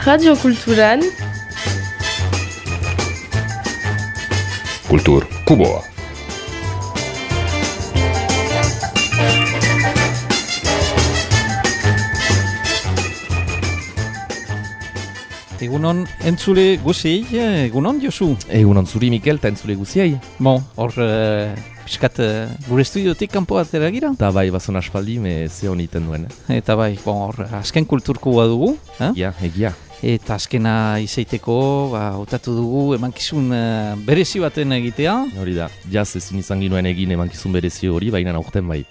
Radio Kulturan Kultur Kuboa. Egunon entzule guziei, egunon Josu? Egunon zuri Mikel eta entzule guziei. Bon, hor piskat gure estudiotik kanpo atera gira. Eta bai, bazon aspaldi, ze honiten duen. Eta bai, bon, hor azken kulturkoa dugu. Egia. Eta azkena izaiteko, hautatu dugu emankizun berezi baten egitea. Hori da, jaz ezin izan ginoen egin emankizun berezi hori, baina aurten bai.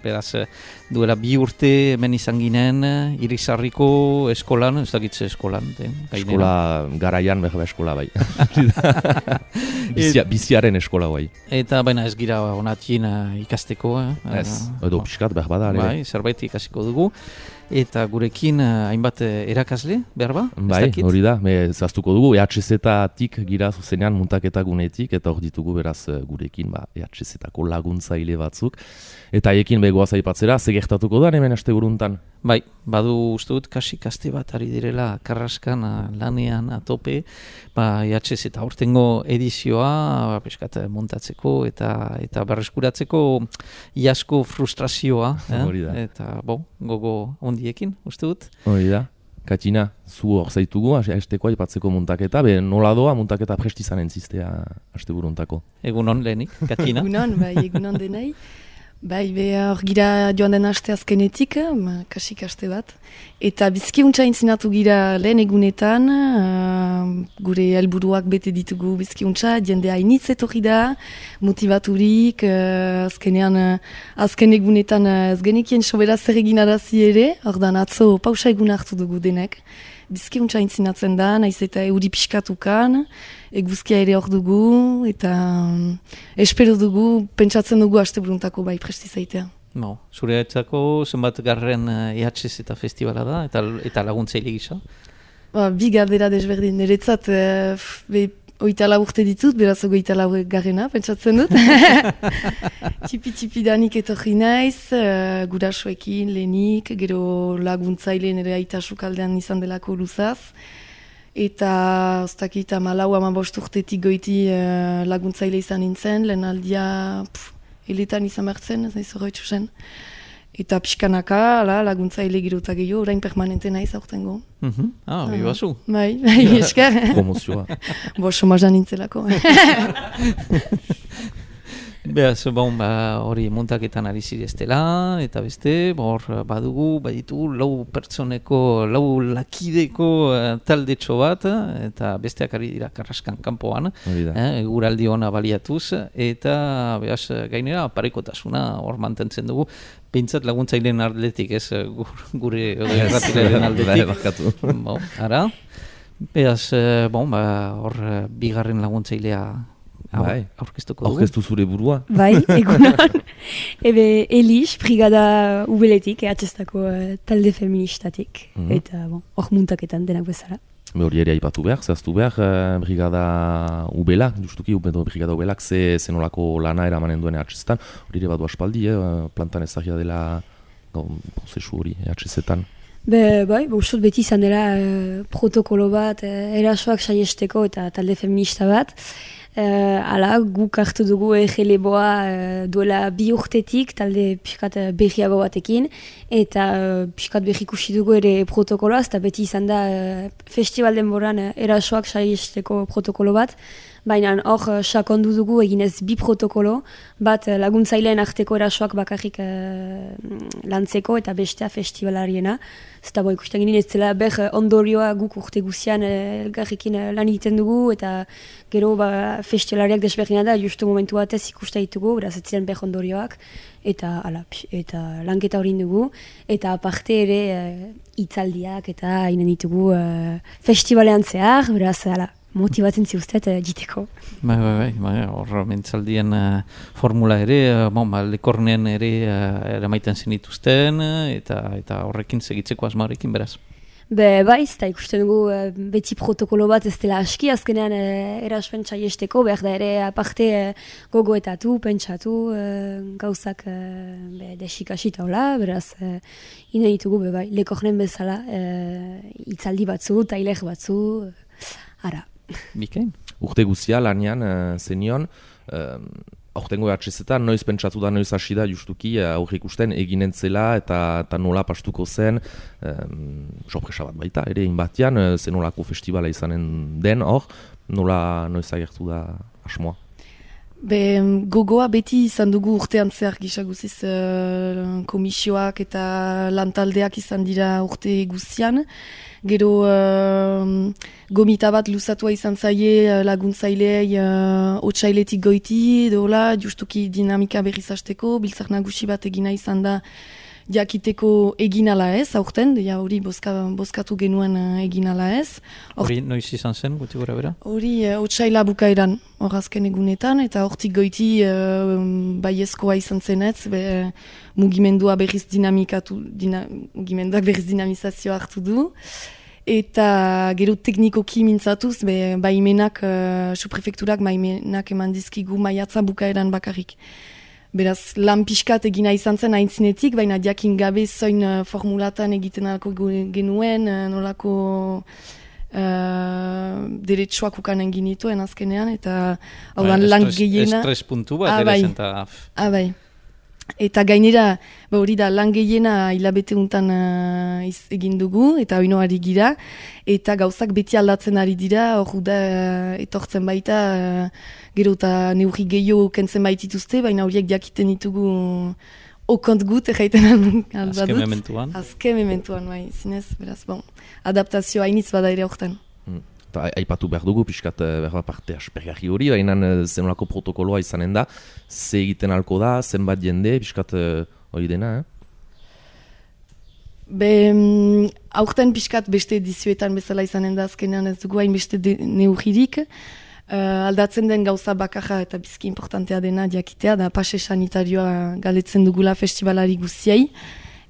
Beraz, duela 2 urte hemen izan ginen, Irizarriko eskolan, ez dakitze eskolan. Eskola garaian, behar eskola bai. Biziaren eskola bai. Eta baina ez gira onatien ikasteko. Ez, edo piskat behar bada. Bai, zerbait ikasiko dugu. Eta gurekin hainbat erakasle, behar ba? Bai, hori da, zaztuko dugu, EHZ-tik gira zuzenean muntaketa gunetik, eta hor ditugu beraz gurekin EHZ-tako laguntzaile batzuk. Eta haiekin begoaz aipatzera, ze gertatuko da hemen asteburuntan? Bai, badu uste dut kasik aste bat ari direla karraskan lanean atope, EHZ eta aurtengo edizioa peskat montatzeko eta berreskuratzeko iasko frustrazioa. Hori da. Eta gogo ondiekin, uste dut. Hori da. Katina, zu hor zaitugu, hasteko aipatzeko muntaketa, nola doa muntaketa prestizan entzistea asteburuntako. Egunon lehenik, Katina. Egunon denei. Hor gira joan den aste azkenetik, kasik aste bat. Eta bizki untsa intzinatu gira lehen egunetan, gure helburuak bete ditugu bizki untsa, jendea initz etorri da, motivaturik, azken egunetan ez genekien sobera zer egin arazi ere, ordan atzo pausa egun hartu dugu denek. Bizki untsa intzinatzen da, naiz eta euri pixkatukan, eguzkia ere hor dugu, eta espero dugu, pentsatzen dugu asteburuntako bai prestizaitea. Zure etzako zenbat garren EHZ eta festivala da, eta laguntzaile gisa? 2 galdera desberdin, niretzat 24 urte ditut, beraz 24 garrena, pentsatzen dut. Tipi danik etorri naiz, gurasoekin, lehenik, gero laguntzaile nire aita sukaldean izan delako luzaz. Eta, oztakit, 14-15 urtetik goiti laguntzaile izan nintzen, lehen aldia heletan izan bertzen, ez nahi zorroitzu zen. Eta pixkanaka, laguntzaile girotak gehiago, orain permanente naiz aurtengo. Hori bazu. Bai, esker. Promozioa. Somazan nintzelako. Beaz, hori muntaketan ari zireztela, eta beste, badugu, baditu, 4 pertsoneko, 4 lakideko taldetxo bat, eta besteak ari dira karraskan kanpoan, eguraldi ona baliatuz, eta beaz, gainera, parekotasuna hor mantentzen dugu, pentsat laguntzaileen aldetik, ez gure erratilaren aldetik. Ara, beaz, hor bigarren laguntzailea aurkeztuko dugu. Aurkeztu zure burua. Bai, egunon. Elis, brigada ubeletik, EHZ-tako talde feministatik. Eta hor muntaketan denak bezala. Hori ere aipatu behar, zehaztu behar, brigada ubela, justuki, brigada ubelak zenolako lana eramanen duen EHZ-etan. Hori ere badu aspaldi, plantan ezagia dela prozesu hori EHZ-etan. Bai, usut beti izan dela protokolo bat, erasoak saiesteko eta talde feminista bat. Guk hartu dugu egeleboa duela 2 urtetik, talde piskat berriago batekin, eta piskat berrikusi dugu ere protokoloaz, eta beti izan da festival denboran erasoak saiesteko protokolo bat, baina hor sakondu dugu eginez 2 protokolo, bat laguntzaileen arteko erasoak bakarrik lantzeko eta bestea festivalariena. Zeta ikusten ginen ez zela ondorioa guk urte guzian elgarrekin lan egiten dugu eta gero festivalariak desberdina da justu momentu batez ikusta ditugu, beraz ez ziren ondorioak eta lanketa hori dugu eta aparte ere hitzaldiak eta hainen ditugu festivalean zehar, beraz motibatzen ziuztet jiteko. Bai, hor mentzaldien formula ere, lekornen ere eramaiten zenituzten eta horrekin segitzeko asma horrekin beraz. Bai, eta ikusten dugu beti protokolo bat ez dela aski, azkenean eraspen txaiesteko, behar da ere aparte gogoetatu, pentsatu, gauzak desikasita hola, beraz, ina ditugu bai, lekornen bezala, itzaldi batzu, tailer batzu, ara. Bikain? Urte guzia, lanian, zenion, aurtengo atxezetan, noiz pentsatu da, noiz hasi da, justuki, aurre ikusten eginen zela eta nola pastuko zen, sorpresa bat baita, ere inbatian, zenolako festivala izanen den hor, nola noiz agertu da asmoa. Gogoa beti izan dugu urtean zehar gisa guziz komisioak eta lantaldeak izan dira urte guzian. Gero gomita bat luzatua izan zaie laguntzaileei otsailetik goiti, dola, justuki dinamika berriz hasteko, biltzar nagusi bat egina izan da jakiteko egin ala ez, aurten, hori bozkatu genuen egin ala ez. Hori noiz izan zen, guti gora bera? Hori otsaila bukaeran, hor azken egunetan, eta hortik goiti baiezkoa izan zenetz, mugimendua berriz mugimenduak berriz dinamizazioa hartu du. Eta gero teknikoki mintzatuz, baimenak, suprefekturak baimenak eman dizkigu maiatza bukaeran bakarrik. Beraz, lan pixkat egina izan zen aintzinetik, baina jakin gabe zoin formulatan egiten alko genuen, nolako deretsuak ukanen ginituen azkenean, eta hau lan gehiena... Estres puntu bat, ere zen eta... Bai. Eta gainera, hori da, lan gehiena hilabete untan egin dugu, eta oinoari gira, eta gauzak beti aldatzen ari dira, hor da etortzen baita, gero eta neurri gehiago kentzen baitituzte, baina horiek jakiten ditugu okont gut, erraiten albadut. Azken mementuan. Azken mementuan, bai, zinez, beraz, adaptazio hainitz bada ere horretan. Aipatu behar dugu, pixkat behar parte aspergarri hori, baina zenolako protokoloa izanen da, ze egiten alko da, zenbat jende, pixkat hori dena, aurten pixkat beste edizioetan bezala izanen da azkenean ez dugu hain beste neurririk, aldatzen den gauza bakarra eta bizki importantea dena jakitea, da pase sanitarioa galetzen dugula festivalari guziai,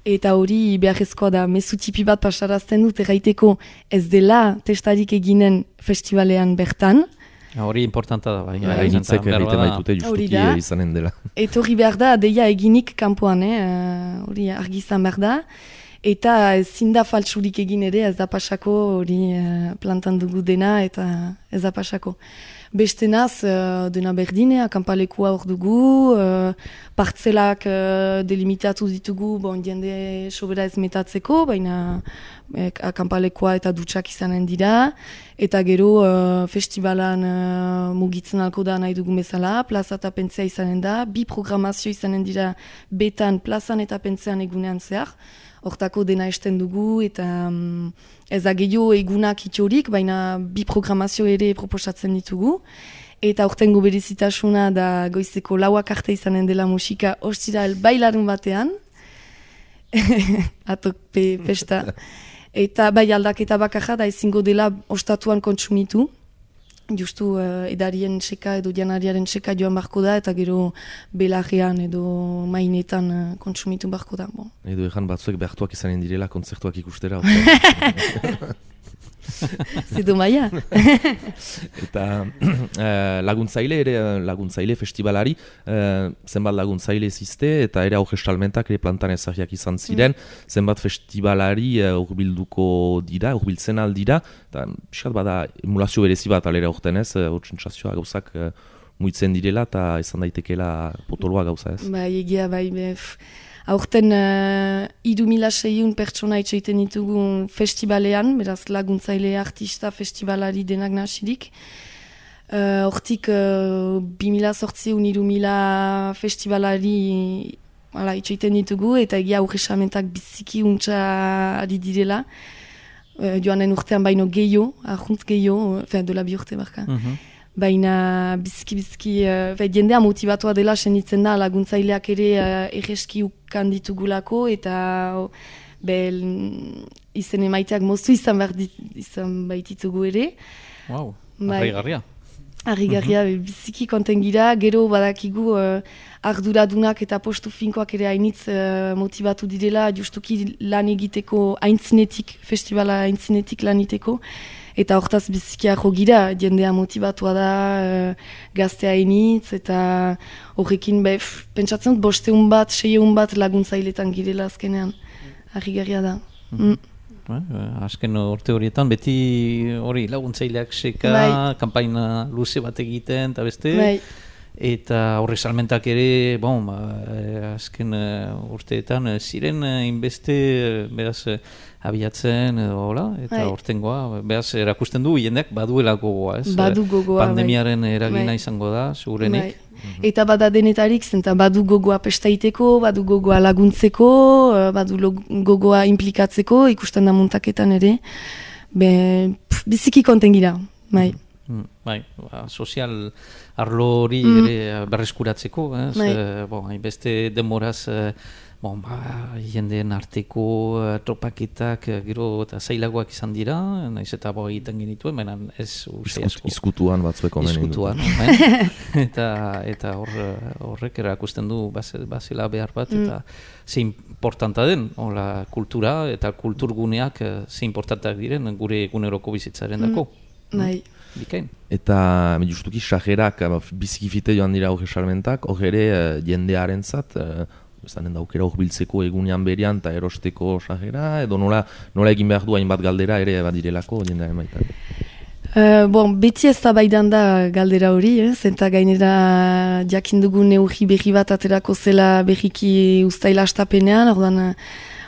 eta hori beharrezkoa da mezu tipi bat pasarazten dut erraiteko ez dela testarik eginen festivalean bertan. Hori importanta da, bai. Gainitzek egiten baitute justuki izanen dela. Eta hori behar da, deia eginik kanpoan, hori argi izan behar da. Eta ezin da faltsurik egin ere ez da pasako, hori plantan dugu dena eta ez da pasako. Beste naz, dena berdine, akampalekua hor dugu, partzelak delimitatu ditugu, jende sobera ez metatzeko, baina akampalekua eta dutxak izanen dira, eta gero festivalan mugitzen alko da nahi dugu bezala, plaza eta pentzea izanen da, bi programazio izanen dira betan plazan eta pentzean egunean zehar, hortako dena esten dugu, eta ez da gehiago egunak itxorik, baina bi programazio ere proposatzen ditugu. Eta aurtengo berezitasuna da goizeko 4 arte izanen dela musika ostiral bailarun batean. Atok pesta. Eta bai aldaketa bakarra da ezingo dela ostatuan kontsumitu. Justu edarien seka edo janariaren seka joan barko da, eta gero belarrean edo mainetan kontsumitu barko da. Edo egan batzuek behartuak izanen direla kontzertuak ikustera. Zedo maia. Eta laguntzaile festivalari, zenbat laguntzaile zizte, eta ere aurrestalmentak ere plantan ezagiak izan ziren, zenbat festivalari urbilduko dira, urbiltzen aldira, eta piskat bada emulazio berezi bat alera urten ez, sentsazioa gauzak muitzen direla, eta izan daitekeela potoloa gauza ez. Bai, egia, bai, aurten 3.600 pertsona itxeiten ditugu festivalean, beraz laguntzaile artista festivalari denak nasirik. Hortik 2.800 3.000 festivalari itxeiten ditugu, eta egia aurresamentak biziki untxa ari direla. Joanen urtean baino gehiago, arjuntz gehiago, dola bi urte barka. Baina bizki, jendea motibatua dela senditzen da laguntzaileak ere erreski ukan ditugulako, eta izen emaiteak moztu izan baititugu ere. Wow, arreigarria. Harrigarria biziki konten gira, gero badakigu arduradunak eta postu finkoak ere hainitz motivatu direla, justuki lan egiteko aintzinetik, festivala aintzinetik lan egiteko, eta hortaz bizikiako gira, jendea motivatua da, gaztea hainitz, eta horrekin pentsatzen dut 500 bat, 600 bat laguntzailetan girela azkenean, harrigarria da. Azken urte horietan, beti hori laguntzaileak seka, kanpaina luze bat egiten, eta beste, eta horre salmentak ere, azken urteetan ziren inbeste, beraz, abiatzen edo, eta hortengoa, beraz, erakusten du, jendeak baduela gogoa, ez? Badu gogoa, pandemiaren eragina izango da, segurenik. Eta bada denetarik, zenta badu gogoa pestaiteko, badu gogoa laguntzeko, badu gogoa implikatzeko, ikusten da muntaketan ere. Biziki konten gira, bai. Sozial arlo hori ere berreskuratzeko, hainbeste demoraz jendeen arteko tropaketak gero eta zailagoak izan dira, naiz eta egiten genituen, baina ez uste asko. Izkutuan batzueko menen. Izkutuan, eta horrek erakusten du bazela behar bat, eta ze importanta den, kultura eta kulturguneak ze importantak diren gure eguneroko bizitzaren dako. Bikain. Eta justuki sajerak bizikifite joan dira horre salmentak, horre jendearen zat, zanen daukera biltzeko egunean berian eta erosteko sajera, edo nola egin behar du hainbat galdera ere bat direlako jendearen baitan? Beti ez da baidan da galdera hori, zenta gainera jakindugu neurri berri bat aterako zela berriki uztaila astapenean,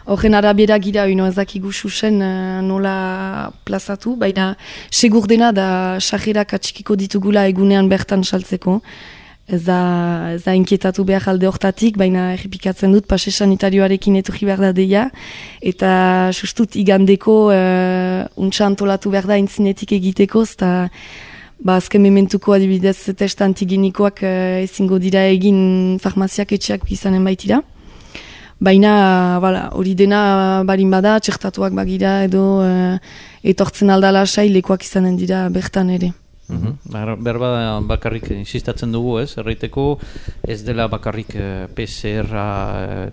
horren arabiera gira ez dakigu susen nola plazatu, baina segur dena da sajerak atxikiko ditugula egunean bertan saltzeko. Ez da inkietatu behar alde hortatik, baina errepikatzen dut pase sanitarioarekin etorri behar da deia, eta sustut igandeko untsa antolatu behar da intzinetik egiteko, eta azken mementuko adibidez test antigenikoak ezingo dira egin farmaziak etxeak izanen baitira. Baina hori dena barin bada, txertatuak bagira edo etortzen aldala lekuak izanen dira bertan ere. Berba bakarrik insistatzen dugu, erraiteko ez dela bakarrik PCR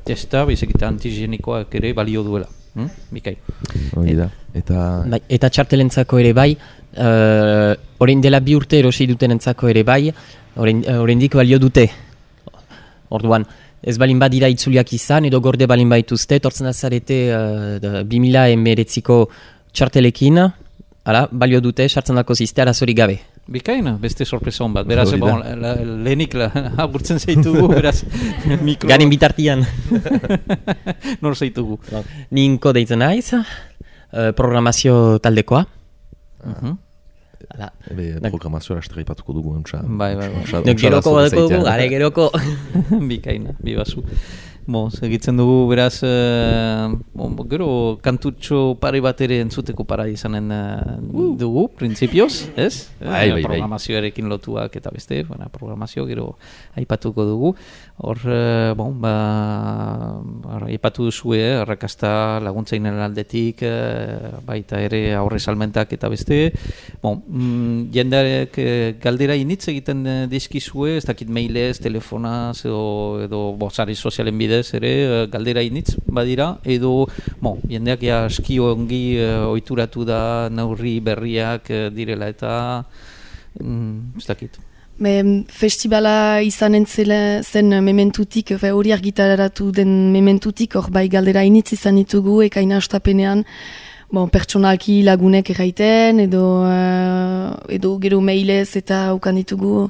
testa, baizik eta antigenikoak ere balio duela. Bikai. Eta txartelentzako ere bai, orain dela 2 urte erosi dutenentzako ere bai, oraindik balio dute. Orduan, ez balin badira itzuliak izan, edo gorde balin baituzte, tortzen azarete 2019ko txartelekin, balio dute, sartzen dako ziste arazorik gabe. Bikaina, beste sorpresa hon bat. Beraz, lehenik agurtzen zaitugu, beraz, mikro... Garen bitartian. Nor zaitugu? Ninko deitzen naiz, programazio taldekoa. Programazioa astrepatuko dugu. Geroko badeko dugu, geroko. Bikaina, bibazu. Segitzen dugu, beraz, gero kantutxo pare bat ere entzuteko para izanen dugu, printzipioz, ez? Programazioarekin lotuak eta beste, programazio gero aipatuko dugu. Hor, aipatu duzue, arrakasta laguntzainen aldetik, baita ere aurre salmentak eta beste. Jendearek galdera initz egiten dizkizue, ez dakit mailez, telefonaz edo sare sozialen bidez ere galdera initz badira, edo jendeak aski ongi ohituratu da neurri berriak direla eta ez dakit. Festivala izanen zen mementutik, hori argitaratu den mementutik, hor bai galdera initz izan ditugu, ekaina astapenean, pertsonalki lagunek erraiten, edo gero mailez eta ukan ditugu,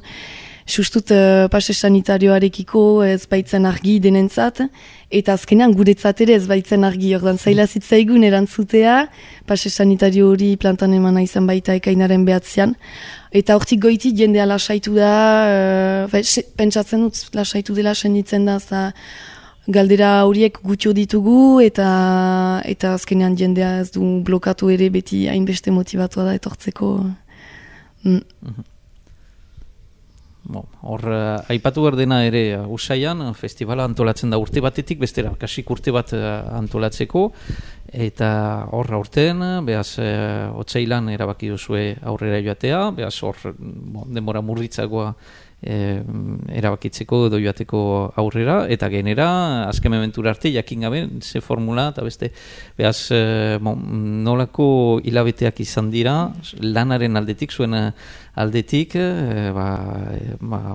sustut pase sanitarioarekiko ez baitzen argi denentzat, eta azkenean guretzat ere ez baitzen argi, ordan zaila zitzaigun erantzutea, pase sanitario hori plantan emana izan baita ekainaren behatzean, eta hortik goiti jendea lasaitu da, pentsatzen dut lasaitu dela senditzen da, galdera horiek gutxo ditugu, eta azkenean jendea ez du blokatu ere beti hainbeste motibatua da etortzeko. Hor, aipatu behar dena ere Usaian, festivala antolatzen da urte batetik, bestera, kasik urte bat antolatzeko, eta hor aurten, behaz, otsailan erabaki duzue aurrera joatea, behaz hor, denbora murritzagoa erabakitzeko edo joateko aurrera, eta genera, azken mementura arte, jakin gabe, ze formula, eta beste, behaz, nolako hilabeteak izan dira, lanaren aldetik, zuen aldetik,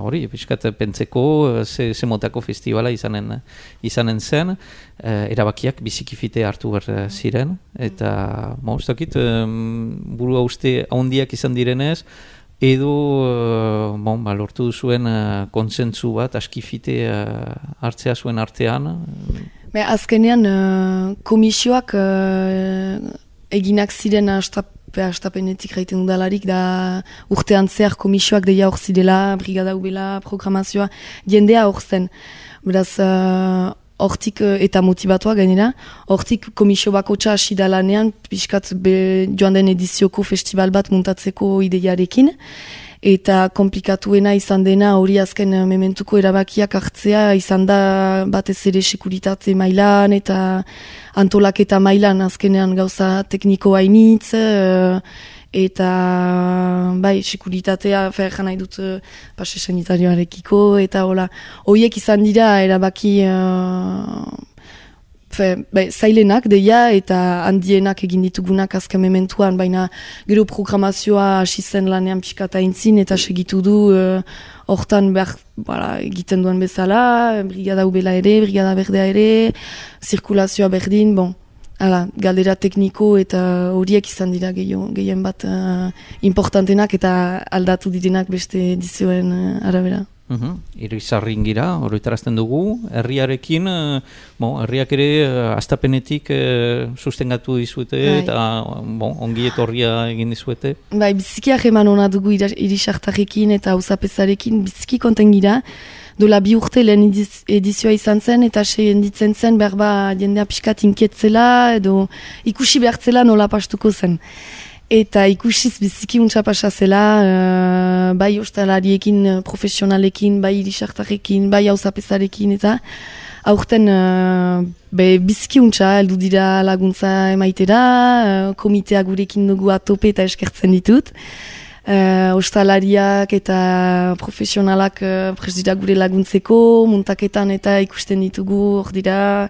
hori, pixkat pentseko, ze motako festivala izanen zen, erabakiak bizikifite hartu behar ziren, eta, ez dakit, burua uste handiak izan direnez, edo lortu duzuen kontsentsu bat, askifite hartzea zuen artean. Azkenean, komisioak eginak ziren astapenetik gaiten udalarik, da urtean zehar komisioak deia hor zidela, brigada ubela, programazioa, jendea hor zen. Beraz, hortik eta motivatoa gainera, hortik komisio bakotxa hasi da lanean, pixkat joan den edizioko festival bat muntatzeko ideiarekin, eta komplikatuena izan dena hori azken mementuko erabakiak hartzea, izan da batez ere sekuritate mailan eta antolaketa mailan azkenean gauza tekniko hainitz, eta sekuritatea ferjan nahi dut pase sanitarioarekiko, eta horiek izan dira erabaki zailenak deia eta handienak egin ditugunak azken mementuan, baina gero programazioa hasi zen lanean pixkata intzin eta segitu du hortan egiten duen bezala, brigada ubela ere, brigada berdea ere, zirkulazioa berdin, galdera tekniko eta horiek izan dira gehien bat importantenak eta aldatu direnak beste edizioen arabera. Irizarrin gira, oroitarazten dugu, herriarekin, herriak ere astapenetik sustengatu dizuete eta ongi etorria egin dizuete. Biziki eman hona dugu irisartarekin eta auzapezarekin, biziki konten gira. Dola 2 urte lehen edizioa izan zen eta ditzen zen berba jendea pixkat inketzela edo ikusi behartzela nola pastuko zen. Eta ikusiz biziki untsa pasa zela, bai ostalariekin, profesionalekin, bai irisartarekin, bai auzapezarekin eta aurten biziki untsa heldu dira laguntza emaitera, komitea gurekin dugu atope eta eskertzen ditut. Ostalariak eta profesionalak prest dira gure laguntzeko, muntaketan eta ikusten ditugu hor dira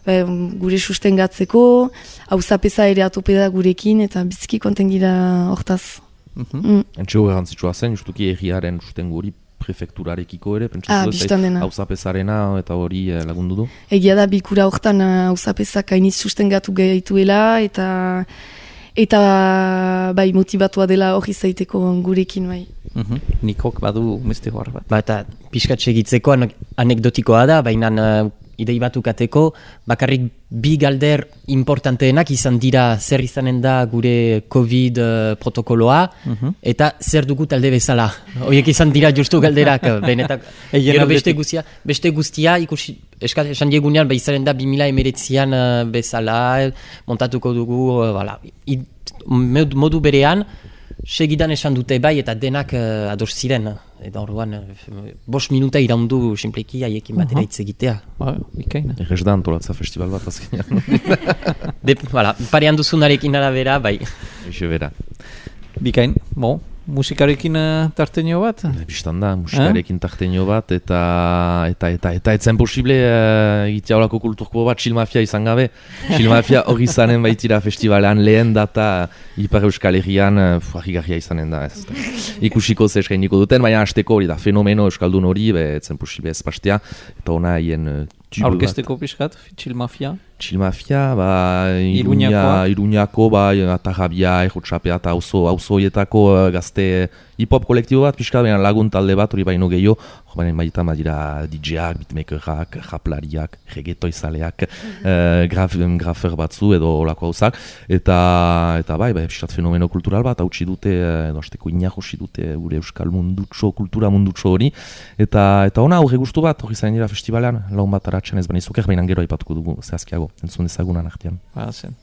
gure sustengatzeko, auzapeza ere atope da gurekin eta biziki konten gira hortaz. Entxego garantzitsua zen, justuki erriaren sustengo hori prefekturarekiko ere, pentsatzen auzapezarena eta hori lagundu du? Egia da, bilkura hortan auzapezak hainiz sustengatu gehituela eta motibatua dela hori zaiteko gurekin bai. Nikok badu beste hor bat. Eta pixkatxe egitzeko anekdotikoa da, baina idei batukateko, bakarrik bi galder importanteenak izan dira zer izanen da gure COVID protokoloa, eta zer dugu talde bezala. Horiek izan dira justu galderak, benetak. Gero beste guztia, ikusi, esan diegunean, izaren da 2019an bezala, montatuko dugu, modu berean, segidan esan dute bai eta denak ados ziren. Eta orduan, 5 minuta iraundu simpleki haiekin batera hitz egitea. Bikaina. Errez da antolatza festival bat azkenean. Parean duzunarekin arabera, bai. Eixo bera. Bikain, musikarekin tarteño bat? Bistan da, musikarekin tarteño bat, eta etzen posible egitea horako kulturko bat Chilmafia izan gabe. Chilmafia hori izanen baitira festivalean lehen data Ipar Euskal Herrian harrigarria izanen da. Ikusiko ze eskainiko duten, baina hasteko hori da, fenomeno euskaldun hori, etzen posible ez pastea, eta ona haien aurkezteko pixkat, Chilmafia? Chilmafia, Iruñako, Atarrabia, Errotxapea eta auzoietako gazte hip-hop kolektibo bat, pixkat, lagun talde bat, hori baino gehiago, baina baita badira DJ-ak, beatmakerak, raplariak, reggaetoizaleak, grafer batzu edo olako hauzak, eta pixkat fenomeno kultural bat, hautsi dute, edo hasteko inahosi dute gure euskal mundutxo, kultura mundutxo hori, eta ona aurre gustu bat, hori zain dira festivalean, laun bat aratzen ez baina izuker, baina gero aipatuko dugu, zehazkiago, entzun dezagunan artean. Zen.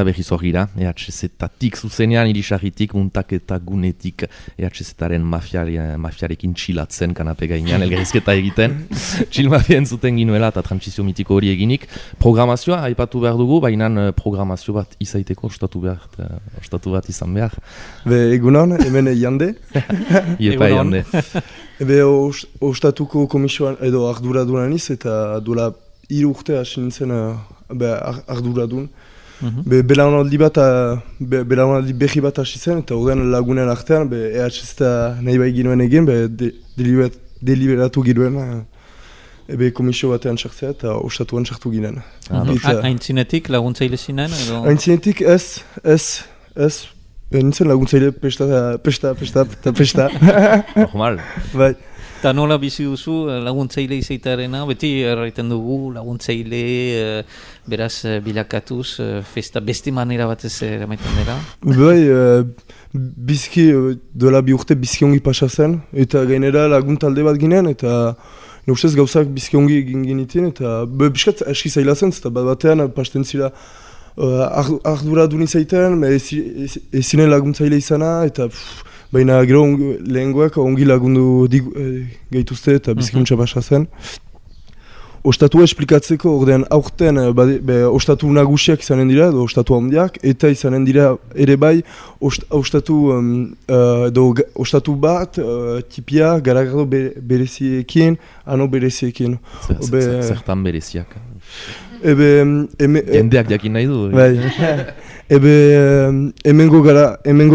eta berriz hor gira, EHZ-tatik zuzenean, irisarritik, muntaketa gunetik, EHZ-taren mafiarekin txilatzen kanape gainean, elgerizketa egiten, txil mafia entzuten ginuela eta transizio mitiko hori eginik. Programazioa, aipatu behar dugu, baina programazio bat izaiteko ostatu bat izan behar. Egunon, hemen Jande. Iepa Jande. Ostatuko komisioan edo arduradunan iz, eta duela 3 urte hasi nintzen arduradun. Belaunaldi berri bat hasi zen, eta horren lagunen artean, EHZ nahi bai ginoen egin, deliberatu ginoen komisio batean sartzea eta ostatuan sartu ginen. Aintzinetik laguntzaile zinen? Aintzinetik ez. Nintzen laguntzaile pesta. Normal. Bai. Eta nola bizi duzu laguntzaile izaitearena, beti erraiten dugu laguntzaile beraz bilakatuz, festa beste manera batez eramaiten dela? Bai, bizki, dola 2 urte bizki ongi pasa zen, eta gainera lagun talde bat ginen, eta ustez gauzak bizki ongi egin ginitin, eta biskat eski zaila zen, eta batean pasten zira arduradun izaiten, ezinen laguntzaile izana, eta baina gero lehengoak ongi lagundu gehituzte eta bizikuntza basa zen. Ostatua esplikatzeko ordean aurten ostatu nagusiak izanen dira, edo ostatu handiak, eta izanen dira ere bai ostatu bat, tipia, garagardo bereziekin, ano bereziekin. Zertan bereziak? Jendeak jakin nahi du. Hemengo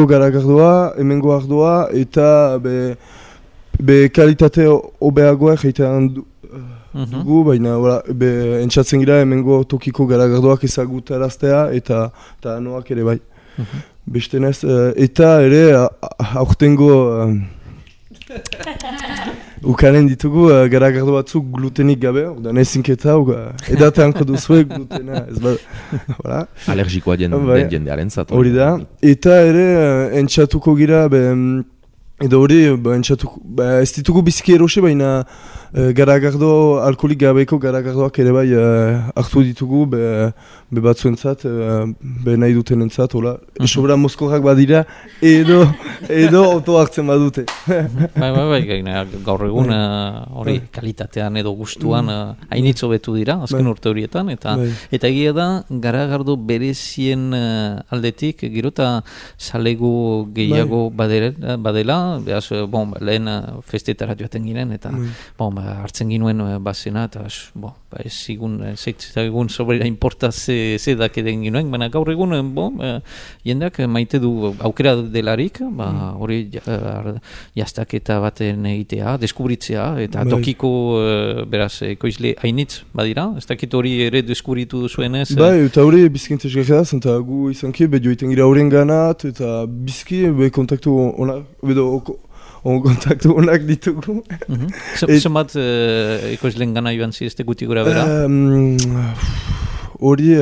garagardoa, hemengo ardoa, eta kalitate hobeagoa egiten dugu, baina entzatzen gira hemengo tokiko garagardoak ezagutaraztea eta anoak ere bai. Bestenez, eta ere aurtengo ukanen ditugu garagardo batzuk glutenik gabe, ordan ezinketa, edateanko duzue glutena, ez bada. Alergikoa jendearen zatu. Hori da, eta ere entxatuko gira, edo hori ez ditugu biziki erosi, baina garagardo, alkoholik gabeko garagardoak ere bai hartu ditugu, batzuentzat, nahi dutenentzat, hola. Sobra mozkorrak badira, edo oto hartzen badute. Bai, gaur egun hori kalitatean edo gustuan hainitzo betu dira, azken urte horietan, eta egia da, garagardo berezien aldetik, gero eta salegu gehiago badela, behaz, lehen festetara joaten ginen, eta hartzen ginuen bazena, eta ez zigun sobrera importa ze dakeden ginoen, baina gaur egun jendeak maite du aukera delarik, hori jaztaketa baten egitea, deskubritzea, eta tokiko beraz ekoizle hainitz badira, ez dakit hori ere deskubritu duzuenez? Bai, eta hori bizkintez gara zen, eta gu izanki, joiten gira horren ganat, eta bizki kontaktu kontaktu honak ditugu. Zenbat ekoizleen gana joan zizte guti gura bera? Hori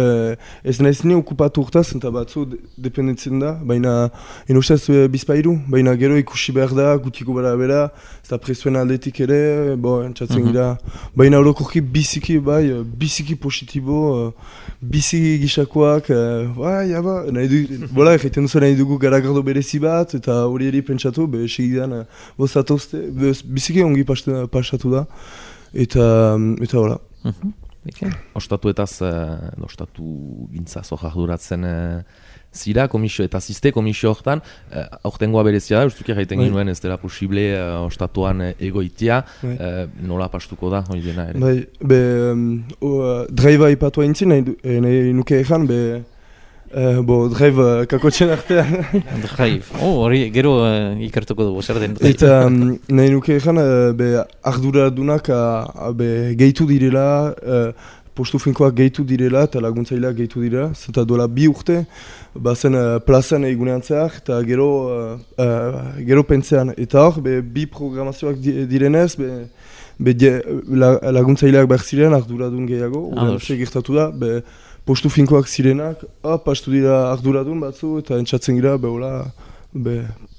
ez nahiz ni okupatu urtaz, eta batzu dependentzen da, baina inostaz bizpairu, baina gero ikusi behar da, gutiko bara bera, ez da presuen aldetik ere, entzatzen gira, baina orokorki biziki positibo, biziki gisakoak, egiten duzu nahi dugu garagardo berezi bat, eta hori eri pentsatu, segidan bozatozte, biziki ongi pasatu da, eta hola. Ostatuetaz, ostatu gintzaz jarduratzen zira, komisio eta ziste komisio horretan, aurtengoa berezia da, ustuki jaiten ginuen ez dela posible ostatuan egoitia, nola pastuko da, hori dena ere? Draiva ipatua intzin, nahi nuke ezan, Drive kakotxen artean. Drive, hori gero ikertuko dugu, zer den. Eta nahi nuke ezan, arduradunak gehitu direla, postu finkoak gehitu direla eta laguntzaileak gehitu dira. Zeta duela 2 urte, bazen plazan egunean zehar eta gero pentsean. Eta hor, 2 programazioak direnez, laguntzaileak behar ziren arduradun gehiago. Gertatu da, postu finkoak zirenak, pastu dira arduradun batzu eta entzatzen gira,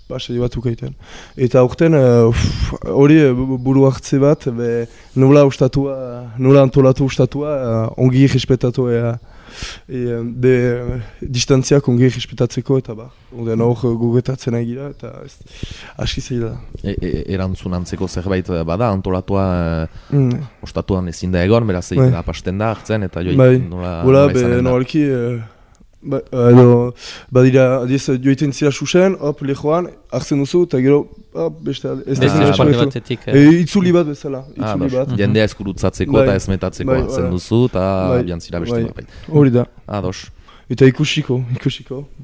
pasadi batzuk egiten. Eta aurten hori buru hartze bat, nola antolatu ustatua, ongi respetatu distantziak ongi respetatzeko eta Oden hor gugetatzen egira eta aski zeila da. Erantzun antzeko zerbait bada, antolatua ostatuan ezin da egon, beraz egin da pasten da hartzen eta nola izanen da. Badira, joiten zira susen, lehoan, hartzen duzu, eta gero, beste itzuli bat bezala. Jendea eskurutzatzeko eta ezmetatzeko hartzen duzu, eta biantzira beste bat. Hori da. Ados. Eta ikusiko.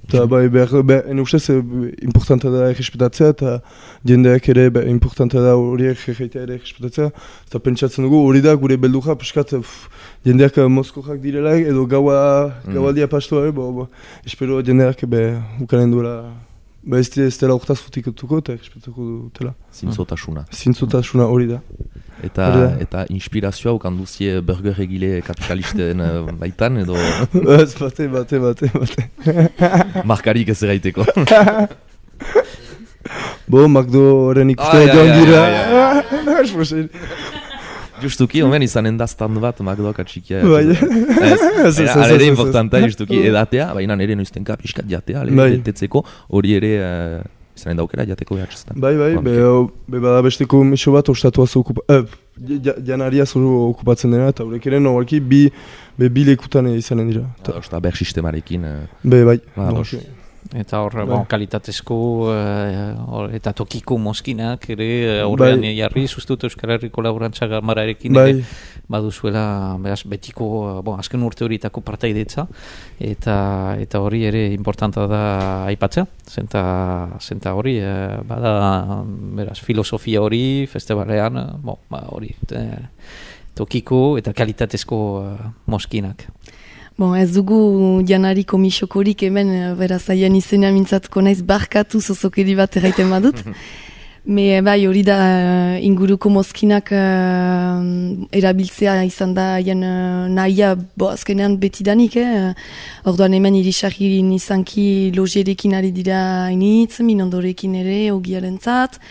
Eta ene ustez, importanta da errespetatzea, eta jendeak ere importanta da horiek jaitea ere errespetatzea. Eta pentsatzen dugu, hori da gure beldurra, piskat, jendeak mozkorrak direla, edo gaualdia pastoa, espero jendeak ukaren duela, ez dela urtaz futikotuko eta errespetatuko dutela. Zintzotasuna hori da. Eta inspirazioa ukanduzie burger egile kapitalisten baitan, edo... Ez, bate. Markarik ez eraiteko. McDoren ikustea joan gira. Justuki, omen izanen da stand bat McDoak atxikia. Ere importanta justuki edatea, baina ere noiztenka pixkat jatea, lehetetzeko, hori ere... Zanen daukera jateko behatxeztan. Bai, bada besteko miso bat ostatuaz janariaz okupatzen dena, eta horrek ere nogalki bi lekutan izanen dira. Eta ber sistemarekin. Bai. Eta hor, kalitatezko eta tokiko mozkinak ere horrean jarri, zuztut Euskal Herriko Laborantza Gamararekin ere baduzuela betiko, azken urte horietako partaidetza, eta hori ere importanta da aipatzea, zenta hori, bada, filosofia hori, festivalean, hori, tokiko eta kalitatezko mozkinak. Ez dugu janari komisiokorik hemen, beraz aian izena mintzatko naiz barkatu zozokeri bat erraiten badut. Bai, hori da inguruko mozkinak erabiltzea izan da aian nahia azkenean betidanik. Orduan hemen irisarririn izanki logierekin ari dira hainitz, minondorekin ere, ogiaren zat.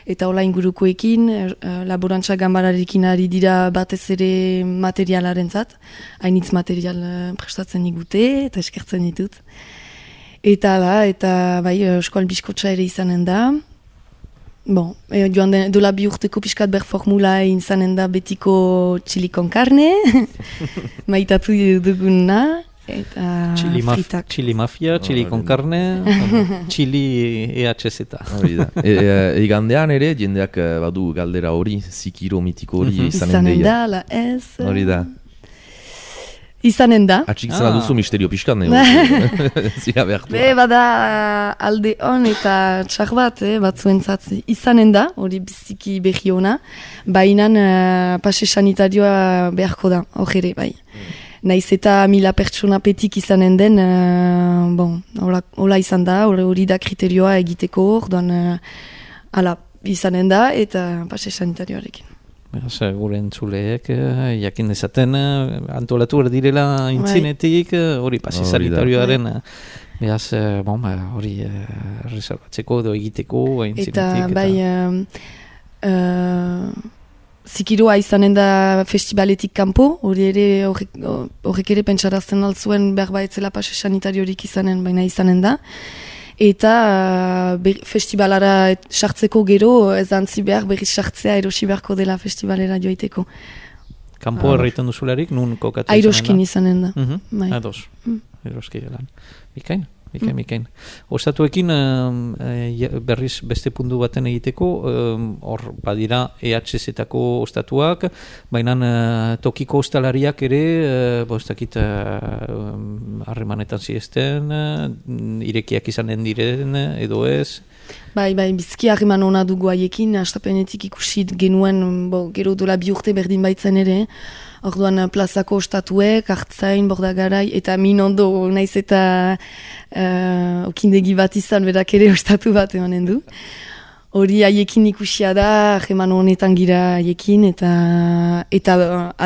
Eta hola ingurukoekin, laborantza gambararekin ari dira batez ere materialaren zat. Hainitz material prestatzen digute eta eskertzen ditut. Eta bai, eskoal biskotxa ere izanen da. Joan dola bi urteko pixkat berformula izanen da betiko chili con carne. Maitatu duguna. Chili mafia, chili con carne, chili EHZ. Igandean ere, jendeak badu galdera hori, zikiro mitiko hori izanen deia. Izanen da, la ez. Hori da. Izanen da. Atxik zela duzu misterio pixkan, zira behartu. Bada alde hon eta txar bat, batzuentzat izanen da, hori biziki behi hona, baina pase sanitarioa beharko da, hori ere, bai. Naiz eta 1000 pertsona petik izanen den, hola izan da, hori da kriterioa egiteko, orduan izanen da eta pase sanitarioarekin. Beraz, gure entzuleek, jakin dezaten, antolatu direla intzinetik, hori pase sanitarioaren, beraz, hori reservatzeko edo egiteko intzinetik. Eta bai... Zikiroa izanen da festivaletik kanpo, hori ere horrek ere pentsarazten altzuen behar baetzela pase sanitariorik izanen, baina izanen da. Eta festivalara sartzeko gero ez antzi behar berriz sartzea erosi beharko dela festivalera joiteko. Kanpo erraiten duzularik, nun kokatzen Airoskin izanen da. Ados, Airoski gelan. Mikain. Ostatuekin berriz beste puntu baten egiteko, hor badira EHZ-etako ostatuak, baina tokiko ostalariak ere, bostakit harremanetan ziesten, irekiak izanen diren, edo ez? Bai, bizki harreman hona dugu haiekin, astapenetik ikusit genuen, gero dola 2 urte berdin baitzen ere, orduan plazako ostatuek, hartzain, bordagarai, eta minondo naiz eta okindegi bat izan berak ere ostatu bat emanen du. Hori haiekin ikusia da, harreman honetan gira haiekin, eta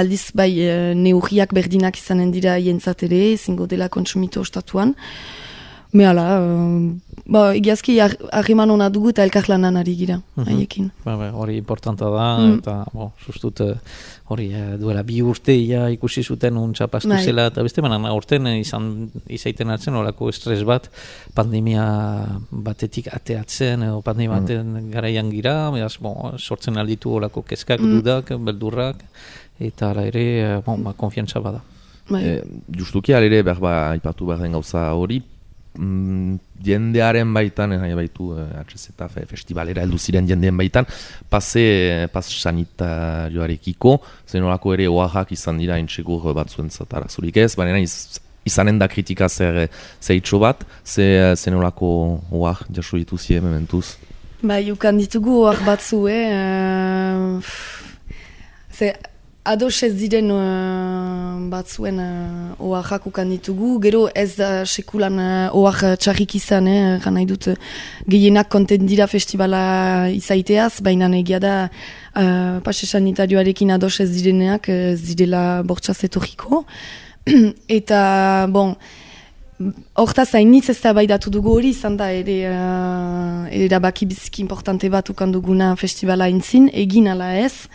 aldiz bai neurriak berdinak izanen dira jentzat ere, zingo dela kontsumitu ostatuan. Mehala, egiazki harreman hona dugu eta elkarlanan ari gira, haiekin. Hori importanta da, eta sustut hori duela 2 urte ikusi zuten untxapastu zela, eta beste banan aurten izaiten atzen horako estres bat, pandemia batetik ateatzen, edo pandemia baten garaian gira, beraz, sortzen alditu horako kezkak, dudak, beldurrak, eta ala ere, konfiantza bada. Justuki alere behar aipatu behar den gauza hori, jendearen baitan, baitu HZ festivalera heldu ziren jendeen baitan, pas sanitarioarekiko, zenolako ere oaxak izan dira intsegur batzuentzat arazurik ez, baina izanen da kritika zeitxo bat, zenolako oax jaso dituzien mementuz? Ukan ditugu oax batzu, ados ez diren batzuen oaxak ukan ditugu, gero ez sekulan oax txarrik izan, gan nahi dut gehienak kontent dira festivala izaiteaz, baina egia da pase sanitarioarekin ados ez direneak ez direla bortxaz etorriko. Eta, hortaz hainitz ez da baidatu dugu hori, izan da erabaki biziki importante bat ukan duguna festivala intzin, egin ala ez,